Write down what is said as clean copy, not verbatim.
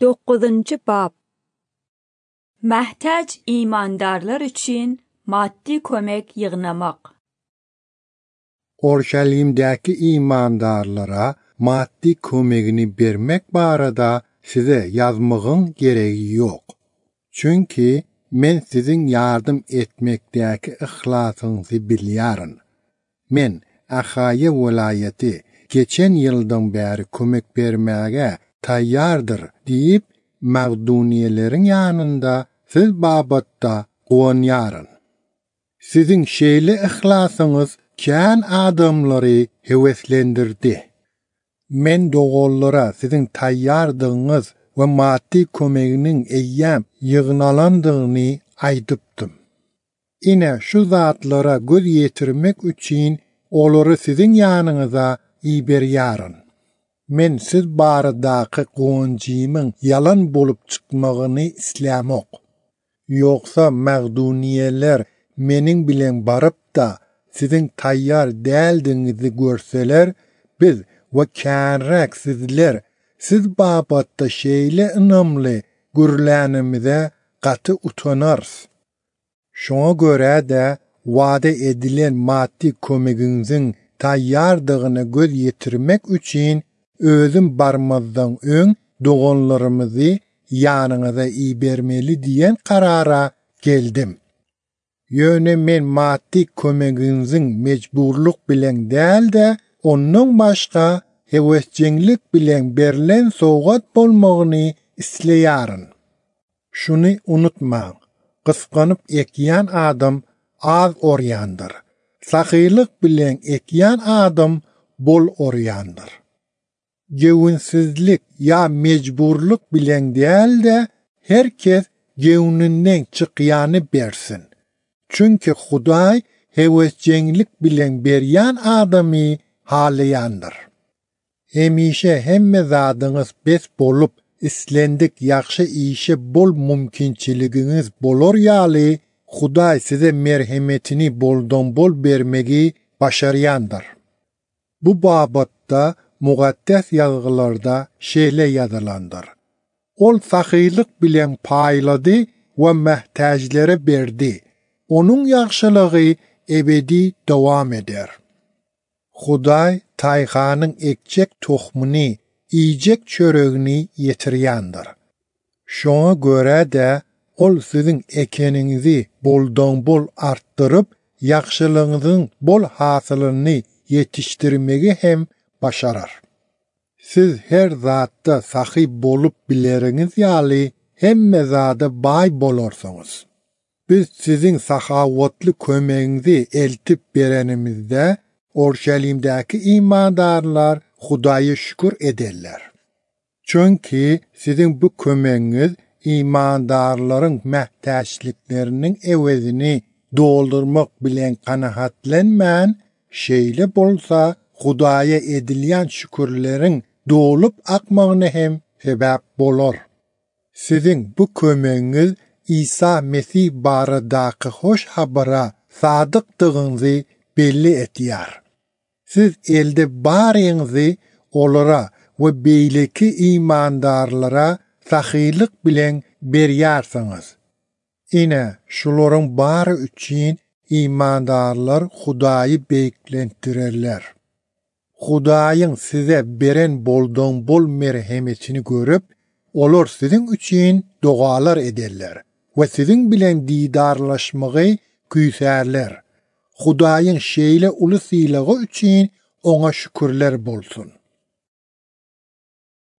9. bab. Məhtac imandarlar üçün maddi kömək yığnamaq. Orşalimdəki imandarlara maddi kömegini vermek barada size yazmağın gereği yok. Çünkü men sizin yardım etmekdəki ihlasınızı biliyorum. Men Axaya vilayeti geçen yıldan beri kömek vermeye tayyardır deyip Maqduniyelerin yanında siz babatta qoğanyarın. Sizin şeyli ihlasınız kän adamları heveslendirdi. Men doğullara sizin tayyardığınız ve maddi kömeğinin eyyam yığınalandığını aydıptım. Ine şu zatlara göz yetirmek için oları sizin yanınıza iberyarın. Men siz baradaki qoğuncimin yalan bolup çıkmağını islamok. Yoksa Maqduniyeler menin bilen barıp da sizin tayyar değildiğinizi görseler, biz ve kânrak sizler, siz babatta şeyle ınamlı gürlänimize katı utanarız. Şuna göre de vade edilen maddi kömeginizin tayyardığını göz yetirmek için özüm barmazdan ön doğanlarımızı yanınıza ibermeli diyen karara geldim. Yöne men maddi kömeginizin mecburluk bilen değil de onun başka hevescenlik bilen berlen soğat bolmağını isleyarın. Şunu unutmayın, kıskanıp ekyan adam az oryandır. Sakıylık bilen ekyan adam bol oryandır. Gevinsizlik ya mecburluk bilen değil de herkes gevninden çıkyanı bersin. Çünkü Huday hevescenlik bilen beryan adamı halayandır. Hemişe hemme zadınız bes bolup islendik yakşı işe bol mümkünçiliginiz bolor yali Huday size merhametini boldan bol vermegi başarayandır. Bu babatta muqaddes yazgılarda şeyle yazılandır. Ol sakıylık bilen payladı ve mehtaclere berdi. Onun yaxşılığı ebedi devam eder. Huday tayhanın ekcek tohmunu, iyicek çöreğini yetiriyandır. Şuna göre de ol sizin ekeninizi boldan bol arttırıp, yaxşılığınızın bol hasılını yetiştirmeyi hem başarar. Siz her zatta sahip bolup bileriniz yali hemme zada bay bolorsunuz. Biz sizin sahavatlı kömeğinizi eltip berenimizde Orşalimdeki imandarlar Hudaya şükür ederler. Çünkü sizin bu kömeğiniz imandarların mehtaçlıklarının evezini doldurmak bilen kanahatlenmen, şeyle bolsa Hudaya edilen şükürlerin dolup akmağını hem sebep bolur. Sizin bu kömeğiniz İsa Mesih baradaki hoş habara sadıktığınızı belli etiyar. Siz elde barinizi olara ve beyleki imandarlara sahiylik bilen beryarsınız. Ine şuların barı için imandarlar Hudayı beklentirerler. Hudayın size beren boldan bol merhametini görüp, olur sizin için dualar ederler ve sizin bilen didarlaşmayı küyserler. Hudayın şeyle ulu silağı için ona şükürler bolsun.